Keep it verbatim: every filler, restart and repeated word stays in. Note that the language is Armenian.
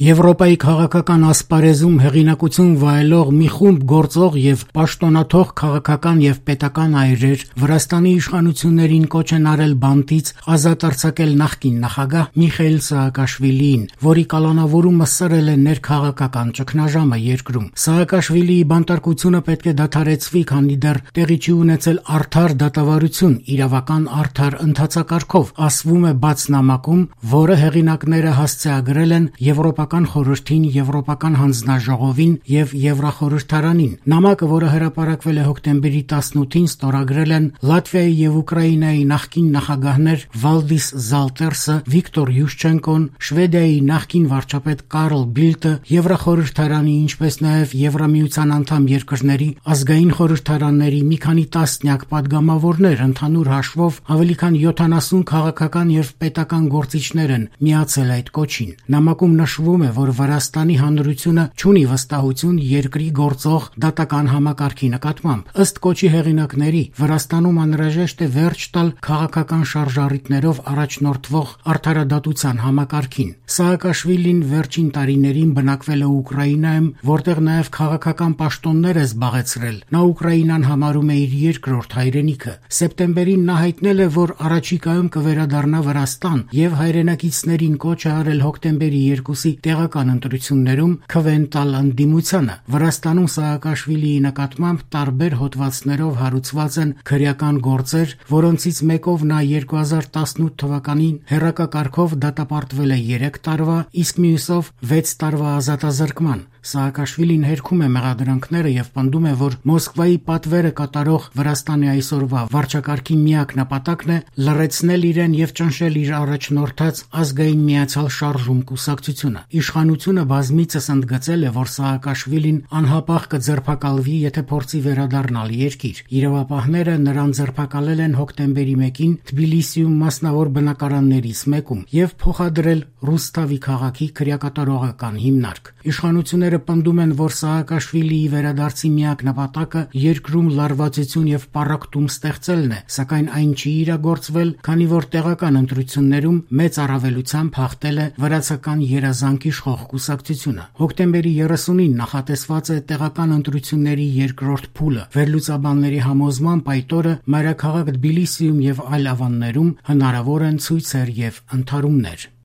Եվրոպայի քաղաքական ասպարեզում հեղինակություն վայելող մի խումբ գործող եւ պաշտոնաթող քաղաքական եւ պետական այրեր Վրաստանի իշխանություններին կոչ են արել բանտից ազատ արձակել նախկին նախագահ Միխայիլ Սահակաշվիլիին, որի կալանավորումը սրել է ներքաղաքական ճգնաժամը երկրում։ Սահակաշվիլիի բանտարկությունը պետք է դադարեցվի, քանի դեռ տեղի չի ունեցել արդար դատավարություն իրավական արդար ընթացակարգով, ասվում է բաց նամակում, որը հեղինակները հասցեագրել են Եվրոպական խորհրդին, Եվրոպական հանձնաժողովին եւ Եվրախորհրդարանին։ Նամակը, որը հրապարակվել է հոկտեմբերի տասնութին, ստորագրել են Լատվիայի եւ Ուկրաինայի նախկին նախագահներ Վալդիս Զալտերսը, Վիկտոր Յուշչենկոն, Շվեդիայի նախկին վարչապետ Կարլ Բիլտը, Եվրախորհրդարանի, ինչպես նաեւ Եվրամիության անդամ երկրների ազգային խորհրդարանների մի քանի տասնյակ падգամավորներ, ընդհանուր հաշվով ավելի քան յոթանասուն քաղաքական եւ պետական գործիչներ են միացել այդ կոչին։ Նամակում նշվում է, որ Վրաստանի հանրությունը չունի վստահություն երկրի գործող դատական համակարգի նկատմամբ։ Ըստ կոչի հեղինակների, Վրաստանում անհրաժեշտ է վերջ տալ քաղաքական շարժառիթներով առաջնորդվող արդարադատության համակարգին։ Սահակաշվիլին վերջին տարիներին բնակվել է Ուկրաինայում, որտեղ նաև քաղաքական պաշտոններ է զբաղեցրել։ Նա Ուկրաինան համարում է իր երկրորդ հայրենիքը։ Սեպտեմբերին նա հայտնել է, որ առաջիկայում կվերադառնա Վրաստան եւ հայրենակիցներին կոչ է արել հոկտեմբերի երկուսի տեղական ընտրություններում քվեն տալ ընդդիմությանը։ Վրաստանում Սահակաշվիլիի նկատմամբ տարբեր հոդվածներով հարուցված են քրեական գործեր, որոնցից մեկով նա երկու հազար տասնութ թվականին հեռակակարգով դատապարտվել է երեք տարվա, իսկ մյուսով վեց տարվա ազատազրկման։ Սահակաշվիլին հերքում է մեղադրանքները եւ պնդում է, որ Մոսկվայի պատվերը կատարող Վրաստանի այսօրվա վարչակարգի միակ նպատակն է լռեցնել իրեն եւ ճնշել իր առաջնորդած ազգային միացյալ շարժում կուսակցությունը։ Իշխանությունը բազմիցս ընդգծել է, որ Սահակաշվիլին անհապաղ կձերբակալվի, եթե փորձի վերադառնալ երկիր։ Իրավապահները նրան ձերբակալել են հոկտեմբերի մեկին Թբիլիսիում մասնավոր բնակարաններից մեկում եւ փոխադրել Ռուսթավի քաղաքի քրեակատարողական հիմնարկ։ Իշխանությունները պնդում են, որ Սահակաշվիլիի վերադարձի միակ նպատակը երկրում լարվածություն եւ պառակտում ստեղծելն է, սակայն այն չի իրագործվել, քանի որ տեղական ընտրություններում մեծ առավելությամբ հաղթել է վրացական երազանք իշխող կուսակցությունը։ Հոկտեմբերի երեսունին նախատեսված է տեղական ընտրությունների երկրորդ փուլը։ Վերլուծաբանների համոզմամբ այդ օրը մայրաքաղաք Թբիլիսիում եւ այլ ավաններում հնարավոր են ցույցեր եւ ընդհարումներ։